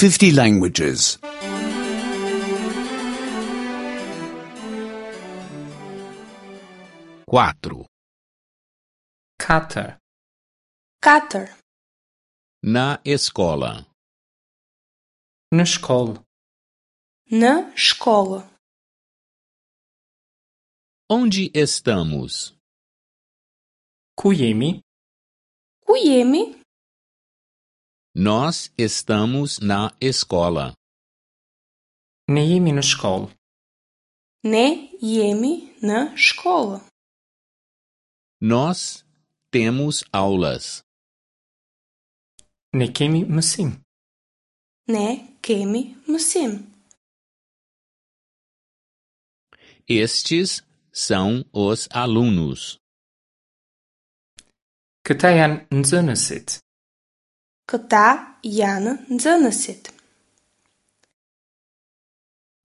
50 languages. 4. 4. 4. Na escola. Në shkollë. Në shkollë. Onde estamos? Ku jemi? Ku jemi? Nós estamos na escola. Ne jemi në shkollë. Ne jemi në shkollë. Nós temos aulas. Ne kemi mësim. Ne kemi mësim. Estes são os alunos. Këta janë nxënësit. Këta janë nxënësit.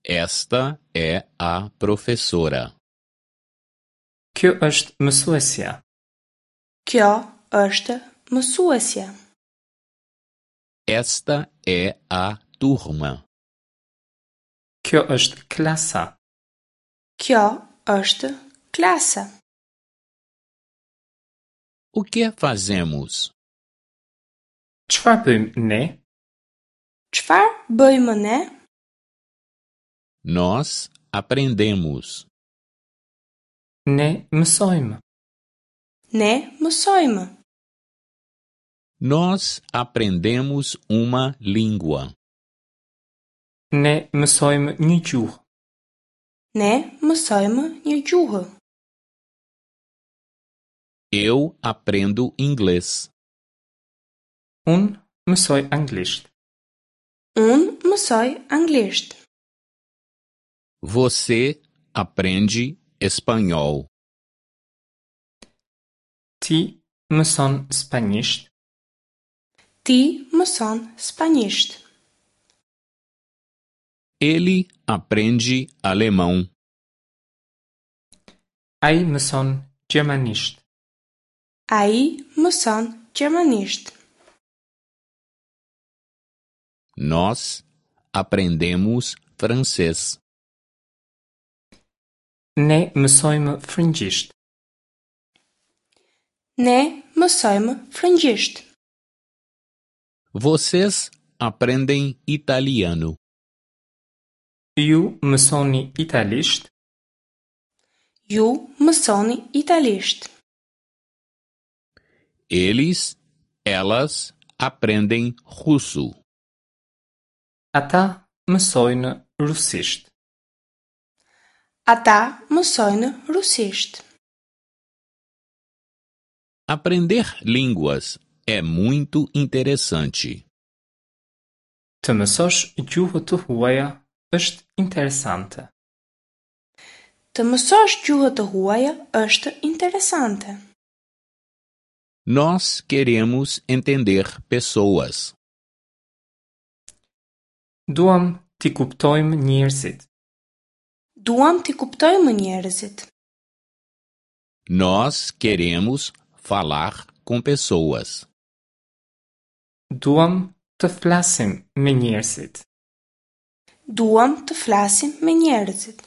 Esta é a professora. Kjo është mësuesja. Kjo është mësuesja. Esta é a turma. Kjo është klasa. Kjo është klasa. O que fazemos? Çfarë bëjmë ne? Çfarë bëjmë ne? Nós aprendemos. Ne mësojmë. Ne mësojmë. Nós aprendemos uma língua. Ne mësojmë një gjuhë. Ne mësojmë një gjuhë. Eu aprendo inglês. Unë mësoj anglisht. Unë mësoj anglisht. Você aprende espanhol. Ti mëson spanjisht. Ti mëson spanjisht. Ele aprende alemão. Ai mëson gjermanisht. Ai mëson gjermanisht. Nós aprendemos francês. Ne mësojmë frëngjisht. Ne mësojmë frëngjisht. Vocês aprendem italiano. Ju mësoni italisht. Ju mësoni italisht. Eles, elas aprendem russo. Ata mësojnë rusisht. Ata mësojnë rusisht. Aprender línguas é muito interessante. Të mësosh gjuhë të huaja është interesante. Të mësosh gjuhë të huaja është interesante. Nós queremos entender pessoas. Duam t'i kuptojmë njerëzit. Duam t'i kuptojmë njerëzit. Nós queremos falar com pessoas. Duam të flasim me njerëzit. Duam të flasim me njerëzit.